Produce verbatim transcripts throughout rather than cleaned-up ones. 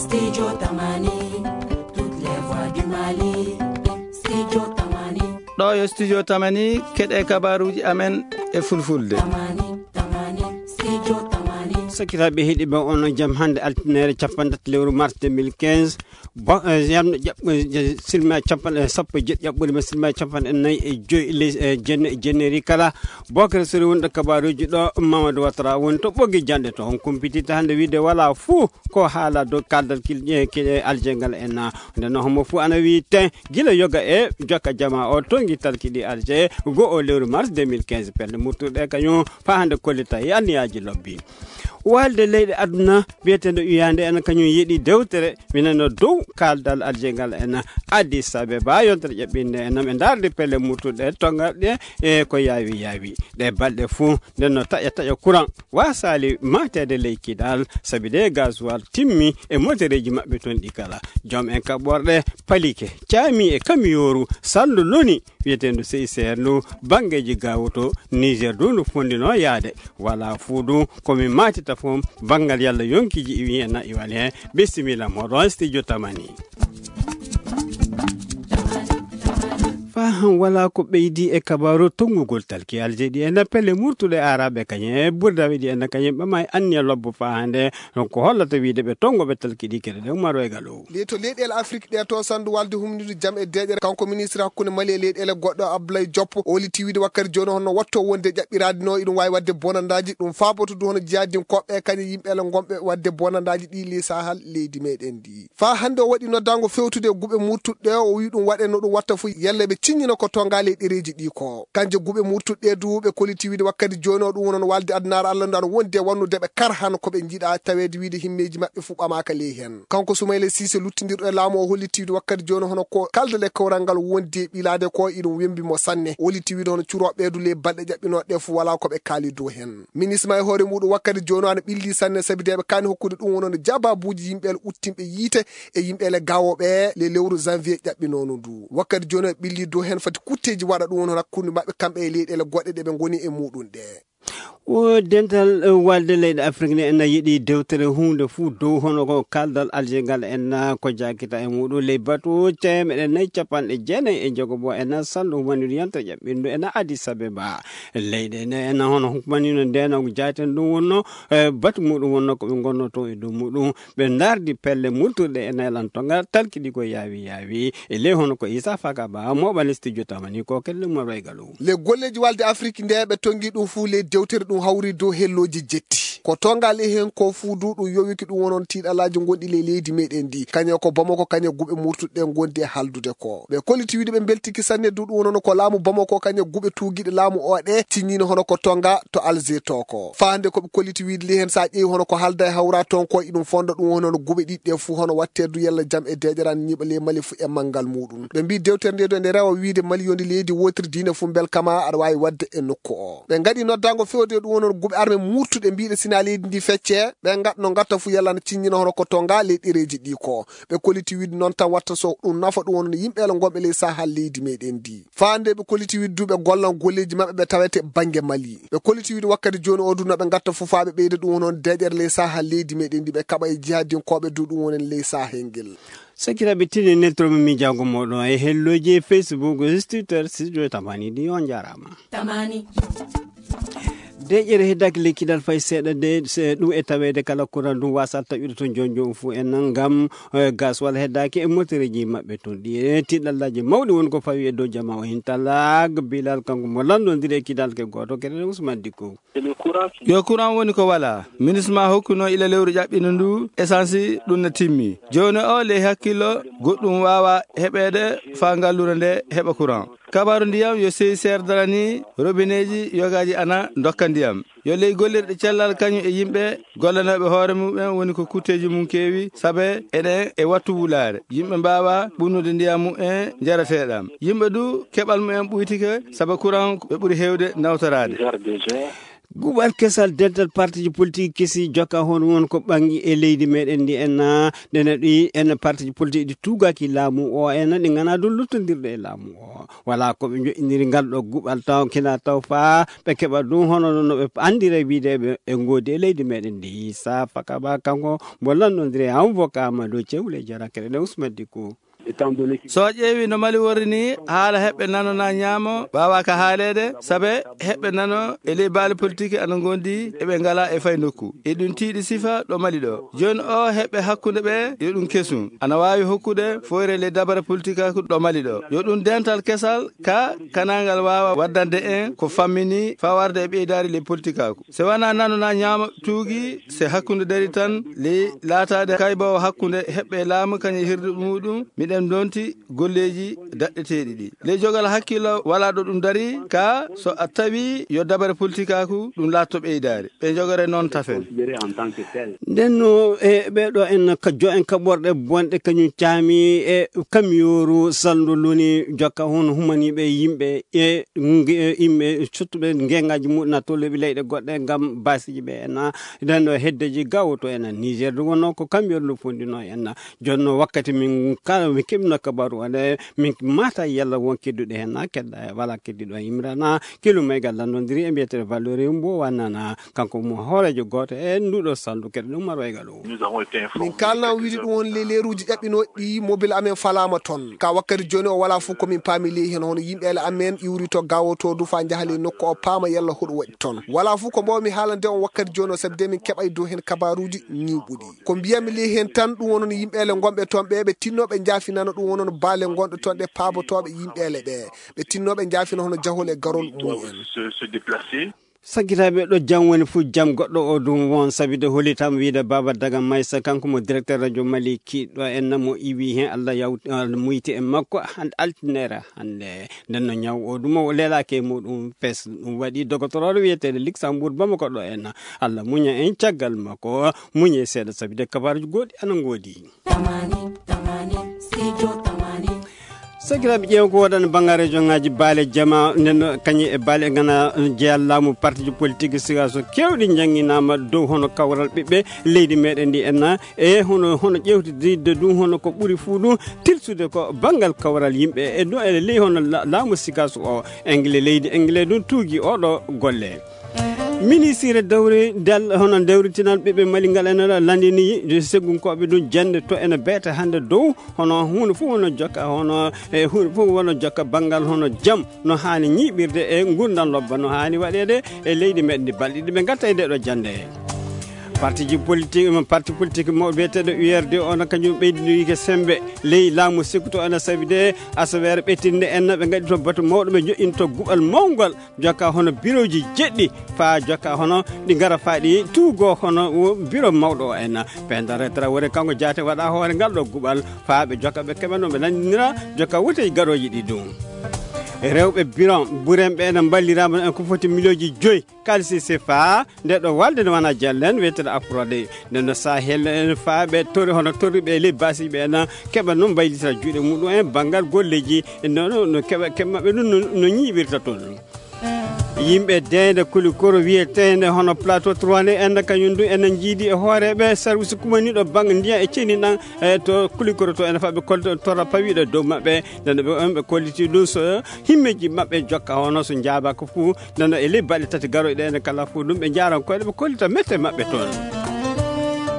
Studio Tamani, toutes les voix du Mali. Studio Tamani. Ɗo yo Studio Tamani, keɗe kabaruji amen e fulfulde. Tamani, Tamani, Studio Tamani. Sakiraaɓe heɗiɓe, on jam hannde altinere capanɗe tati lewru mars deux mille quinze. Bo, eh, yamno ƴaɓ-, eh, je-, silma capanɗe, eh, sappo e jeɗɗi ƴaɓɓude ma silma capanɗe nayi e joyi les, eh, jenne-, jenneri kala. Bokere sori wonɗo kabaruji ɗo, Mamadou Ouattara woni to ɓoggi janɗe to. On kumpititta hannde wiide wala fuu ko haala dow kaldal kil-, eh, ki-, eh, Alger ngal en na. Nde no homo fuu ana wiyi ten gila yoga e jokka jama o tongi talki ɗi Alger go o lewru mars deux mille quinze. Pelle murtuɗe kañum fa hannde kollita e anniyaji lobbi. Walde leyɗe aduna biyeteɗo uyande en kañum yeɗi dewtere mineno dow kaldal Alger ngal en Addis Abeba. Yontere ƴaɓɓinde en nam e darde pelle murtuɗe tongaɗe e ko yawi yawi. Ɗe balɗe fuu nde no taƴa taƴa courant wasali matede ley kidal, sabi de gasoil timmi e motereji maɓɓe ton ɗi kala. Joom en kaɓɓorɗe palike, caami e kamiyoru, salndu loni wiyetendu C I C R ndu, banngeji gawoto Niger du ndu fondino yaade. Wala fuu du ko min matita fof banngal yalla yonkiji iwi e na iwali he. Bisimilla moɗon studio Tamani. Fa han wala ko ɓeydi e kabaru tonngugol talki Alger ɗi en pelle murtuɗe araɓe kañe e burdaɓe ɗi en kañe ɓe may anniya lobbo fa hande. Donc ko hollata wiide ɓe tongoɓe talki ɗi kere ɗe Umar Waygal o. Le to leyɗeele Afrique ɗe to sandu walde humnude jam e deeƴere, kanko ministre hakkunde Mali e leyɗeele goɗɗo Abdoulaye Diop o holiti wiide wakkati jooni honno watto wonde ƴaɓɓiraade no iɗum waawi waɗde bonandaaji. Ɗum faaboto du hono jihaadinkooɓe kañe yimɓe ele ngonɓe waɗde bonandaaji ɗi ley Sahel leydi meɗen ndi. Faa hannde o waɗi noddaango fewtude e guɓe murtuɗe o wi ɗum waɗe no ɗum watta fof yalla ɓe ciññina ko tonga ley ɗereeji ɗi ko. Kanje guɓe murtuɗe du ɓe koliti wiide wakkati jooni o ɗum wono no walde adunaaru Allah ndu ana wondi e wannude ɓe kar hano ko ɓe njiɗa taweede wiide himmeeji maɓɓe fuu ɓamaaka ley heen. Kanko Soumaïla Cissé luttindirɗo e laamu o holliti wiide wakkati jooni hono ko kaldal e kawral ngal wondi e ɓilaade ko iɗum wembi mo sanne. O holliti wiide hono curooɓe du ley balɗe ƴaɓɓinooɗe fuu wala ko ɓe kaali dow heen. Ministre ma e hoore muɗum wakkati jooni o ana ɓilli sanne sabi de ɓe kaani hokkude ɗum wono no jababuuji yimɓe ele uttinɓe yiite e yimɓe ele gawoɓe le lewru janvier ƴaɓɓinono ndu. Wakkati jooni o ɓilli dow heen fati kutteeji waɗa ɗum wono hakkunde maɓɓe kamɓe e leyɗele goɗɗe ɗe ɓe ngoni e muɗum ɗe. O dental, eh, walde leyɗe Afrique ne ena yiɗi dewtere huunde fuu dow hono ko kaldal Alger ngal en na ko jakita e muɗum ley batu teemeɗe nayi capanɗe jeenayi e njogobo en na salɗo woniri yontere ƴaɓɓindu en na Addis Abeba. Leyɗe ne en na hono hukumanino ndeno jaten ɗum wonno, eh, batu muɗum wonno ko ɓe ngonno to e dow muɗum. Ɓe ndardi pelle murtuɗe e naylan tongal talkiɗi ko yaawi yaawi. E ley hono ko Issa Faka Ba, moɓani studio Tamani ko kelle mo Roygalu. Le golleji walde Afrique nde ɓe tongi ɗum fuu ley dewtere ɗum hawri dow hellooji jetti. Ko tongal e heen ko fuu du ɗum yowiki ɗum wonon tiiɗalaaji gonɗi ley leydi meɗen ndi. Kañe ko Bamako, kañe guɓe murtuɗe gondi e haldude ko. Ɓe kolliti wiide ɓe mbeltiki sanne du ɗum wonon ko laamu Bamako, kañe guɓe tuugiɗe laamu o ɗe ciññino hono ko tonga to Alger to ko. Faa hannde ko ɓe kolliti wiide ley heen sa ƴeewi hono ko halda e hawra toon ko iɗum fonda ɗum hono no guɓe ɗiɗi ɗe fuu hono watte du yalla jam e deeƴeran ñiiɓa ley Mali fuu e manngal muɗum. Ɓe mbi dewtere nde du ene rewa wiide Mali yoni leydi wotiri diine fuu mbel kama aɗa waawi waɗde e nokku o. Ɓe ngaɗi noddaango fewde ɗum wonon guɓe arme murtuɗe mbiɗe sina leydi ndi fecce, ɓe ngat no ngatta fuu yalla na ciññina hono ko tonga ley ɗereeji ɗi ko. Ɓe kolliti wiide noon tan watta so ɗum nafa ɗum wonon yimɓe ele ngonɓe ley Sahel leydi meɗen ndi. Faa nde ɓe kolliti wiide du ɓe gollan golleeji maɓɓe ɓe tawete bannge Mali. Ɓe kolliti wiide wakkati jooni o du no ɓe ngatta fuu faa ɓe ɓeyda ɗum wonon deeƴere ley Sahel leydi meɗen ndi ɓe kaɓa e jihadinkooɓe du ɗum wonen ley Sahel ngel. Sakiraaɓe tini neltoro mo miijaago mooɗon e hellooji e Facebook, Twitter, studio Tamani ɗi on njaaraama. Tamani. Deeƴere heddaaki lekkidal fay seeɗa de, se ɗum e taweede kala kuran ɗum wasat taƴude toon jooni jooni fof en nan ngam, eh, gas walla heddaaki e motereeji maɓɓe toon. Ɗi e tiɗallaaji mawɗi woni ko fawi e dow jamaa o hintalaak Bilal kanko mo lanndondiri e kidal ke gooto kene Ousmane Dicko. Yo courant woni ko wala. Ministre ma hokkuno ila lewru ƴaɓɓino ndu, essence ɗum na timmi. Jooni o ley hakkillo goɗɗum waawa heɓeede faa ngallure nde heɓa courant. Kabaaru ndiyam yo sey seer darani robineeji yogaaji ana ndokka ndiyam. Yo ley gollirɗe cellal kañum e yimɓe gollanooɓe hoore mumen woni ko kutteeji mum keewi, sabe eɗen e wattu wulaare. Yimɓe mbaawa ɓunnude ndiyam mumen njarateeɗam. Yimɓe du keɓal mumen ɓuytike, sabe courant ɓe ɓuri heewde nawtoraade. Guɓal kesal dental partiji politique kesi jokka hono won ko ɓangi e leydi meɗen ndi en, ah, ɗene ɗi en partiji politique ɗi tugaki laamu o en, ɗi ngana ɗum luttondirɗe e laamu o. Wala ko ɓe joɗɗiniri ngal ɗo guɓal taw kina taw fa ɓe keɓa ɗum hono no ɓe andira wideɓe e ngodi e leydi meɗen ndi. Sa Fakaba kanko mo lanndondiri e avocat Amadou Cewle Jara kere ɗe Ousmane Dicko. So a ƴeewi no Mali worri ni, haala heɓɓe nano na ñaamo, waawaka haaleede, sabe heɓɓe nano e ley baali politique ana ngondi, eɓe ngala e fay nokku. E ɗum tiiɗi sifa ɗo Mali ɗo. Jooni o heɓɓe hakkunde ɓe, yo ɗum kesum. Ana waawi hokkude foyre ley dabare politikaaku ɗo Mali ɗo. Yo ɗum dental kesal, ka kanangal waawa waddande en ko fammini faa warde e ɓeydaari ley politikaaku. Se wanaa nano na ñaamo tuugi, se hakkunde dari tan ley laataade kayboowo hakkunde heɓɓe laamu kañum e hirde muuɗum, miɗen ndonti golleeji daɗɗeteeɗi ɗi. Ley jogal hakkillo walaa ɗo ɗum dari, ka so a tawi yo dabare politikaaku ɗum laatto ɓeydaari. Ɓe jogore noon tafen. Nden no e ɓeeɗo en ka jo en kaɓorɗe bonɗe kañum caami e kamiyooru salndu luni jokka hono humaniiɓe yimɓe e nge-, yimɓe sottuɓe ngengaaji muɗum na tolluɓe leyɗe goɗɗe ngam baasiiji ɓe en. Nden no heddeji gawoto en Niger du wonno ko kamiyooru ndu fondino en. Jonno wakkati min kala min keɓno kabaru ande min mata yalla won kedduɗe hen na kedda wala keddiɗo Imrana kilo maygal lanndondiri e mbiyeteɗo Valerie Mbo wannana kanko mo hoorejo gooto e nduɗo salndu keɗe ɗum marwaygal o. Min kalna widi ɗum won le leeruuji ƴaɓɓinooɗi ɗi mobile amen falaama toon. Ka wakkati jooni o wala fof ko min paami ley heen hono yimɓeele amen iwri to gawoto du fa njahali nokku o paama yalla hoɗum waɗi toon. Wala fof ko mbawmi haalande on wakkati jooni o sabi de min keɓay dow heen kabaruuji ñiwɓuɗi. Ko mbiyami ley heen tan ɗum wonon yimɓeele ngonɓe toon ɓe ɓe tinno ɓe njaafinano ɗum wonon baale ngonɗo toon ɗe paabotooɓe yimɓeele ɓe. Ɓe tinno ɓe njaafina hono jahol e garol mum en. Sakkitaaɓe ɗo jam woni fof jam goɗɗo o ɗum won sabide holitam wiide Baba Daga Maysa kanko mo directeur radio Mali kiɗɗo en mo iwi heen Allah yawti muyti e makko hande altinere hande. Nden no ñaw o ɗum o lelake e muɗum fes ɗum waɗi dogotoroɗo wiyeteɗo Luxembourg Bamako ɗo en. Allah muña en caggal makko muñe seeɗa sabide kabaruji goɗɗi ana ngoodi. Tamani, tamani, studio tamani. Sakiraaɓe ƴeew ko waɗan banngareejo ŋaaji baale jama nden kañi e baale e ngana jeya laamu partiji politique sigaso kewɗi jannginaama dow hono kawral ɓiɓɓe leydi meɗen ndi enna e hono hono ƴewtidde ɗum hono ko ɓuri fuu ɗum tilsude ko banngal kawral yimɓe e ɗum ene ley hono la- laamu sigaso o engle leydi engle ɗum tuugi oɗo golle. Ministire dawri dal hono dawritinal ɓiɓɓe Mali ngal ene landini segunkooɓe ɗum jannde to ene beete hannde dow hono huunde fof wona jokka hono e huunde fof wona jokka banngal hono jam no haani ñiiɓirde e ngurndan lobba no haani waɗeede e leydi meɗen ndi balɗe ɗiɗi ɓe ngatta e nde ɗo jannde. Partiji politique parti politique mo wiyeteɗo U R D o no kañum ɓeydinoyike sembe ley laamu sikkuto ene sabi de asaweere ɓettinde en ɓe ngaɗi to batu mawɗo ɓe joɗɗinto guɓal mawgal jokka hono birooji jeɗɗi faa jokka hono ɗi ngara faa ɗi tuugo hono biro mawɗo o en. Pendare Traoré kanko jaate waɗa hoore ngal ɗo guɓal faa ɓe jokka ɓe keɓa no ɓe nanndinira jokka wotey garooji ɗi ɗum. Rewɓe biron burenɓe ene mballiraama en ko foti miliyooji joyi kalisi sefa nde ɗo walde ne wona jallen wiyeteno aprode nde no sahel en faa ɓe tori hono torriɓe e ley basiɓe en keɓa noon mbaylitira juuɗe muɗum en banngal golleji nono no keɓa keɓa maɓɓe ɗum no ñiiɓirta toon. Yimɓe deynde kulikoro wiyeteende hono plateau trois nde enne kañum du ene njiidi e hooreeɓe service kumaniiɗo bannge ndiyam e ceniɗam e to kulikoro to ene faɓe kolto torra pawiiɗo dow maɓɓe ndeno ɓe on ɓe kolliti ɗum so himmeji maɓɓe jokka hono so njaabaka fuu ndeno e ley baɗe tati garoyɗe ene kala fuu ɗum ɓe njaaran koyɗe ɓe kollita mette maɓɓe toon.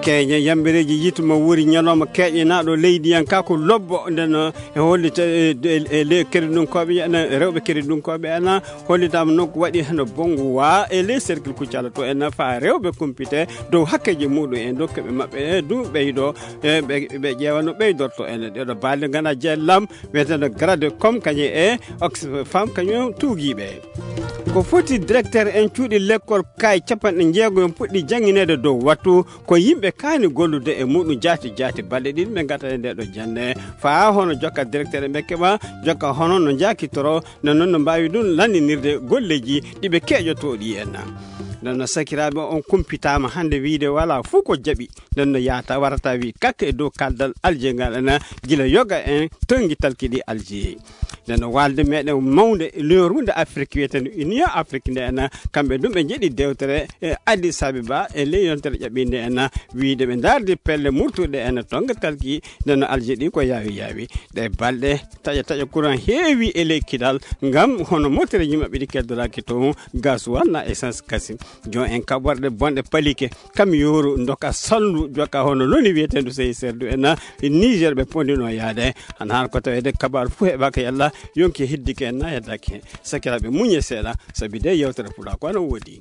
Keeñe yambereeji yituma wuri ñalawma keeƴenaaɗo leydiyanka ko lobbo ndeno e hollita e ley keriɗunkooɓe ena rewɓe keriɗunkooɓe ena hollitaama noon ko waɗi heno bonngu waa e ley cercle kuccala to ena faa rewɓe kumpite dow hakkeeji muɗum en dokke ɓe maɓɓe e du ɓeydo ɓe ƴeewa no ɓeydorto ene ɗeɗo baalde ngana jeellam wiyeteno grade com kañum e oxfam kañum tuugiiɓe. Ko foti directeur en cuuɗi lekkol kay capanɗe jeego en puɗɗi janngineede dow wattu ko yimɓe kaani gollude e muɗum jaati jaati balɗe ɗiɗi ɓe ngata e nde ɗo jannde faa hono jokka directeur ɓe keɓa jokka hono no njaakitoro no noon no mbaawi ɗum lanndinirde golleeji ɗi ɓe keeƴotoo ɗi en. Nden no sakiraaɓe, on kumpitaama hannde wiyde walaa fof ko jaɓi. Nden no yaata warata wi kakka e dow kaldal Algérie ngal ena gila yoga en tongi talki ɗi Algérie. Nden no walde meɗen mawnde lorunde Afrique wiyeteende Union Afrique nde ena kamɓe ɗum ɓe njeɗi dewtere e Addis Abeba e ley yontere ƴaɓɓinde ena wiyde ɓe ndardi pelle murtuɗe ena tonga talki. Nden no Algérie ko yaawi yaawi. Ɗe balɗe taƴa taƴa courant heewi e ley kidal ngam hono motereji maɓɓe ɗi keddoraaki toon, gasoil na essence kasi. Jon en kaɓorɗe bonɗe palike kam yoru doka salndu joka hono loni wiyeteendu sey serdu en Niger ɓe pondino yaade. Hana hano ko tawede kabaru fof heɓaka yalla yonki heddike en na yeddaki hen. Sakiraɓe muñe seeɗa sabi de yewtere pula ko ana woodi.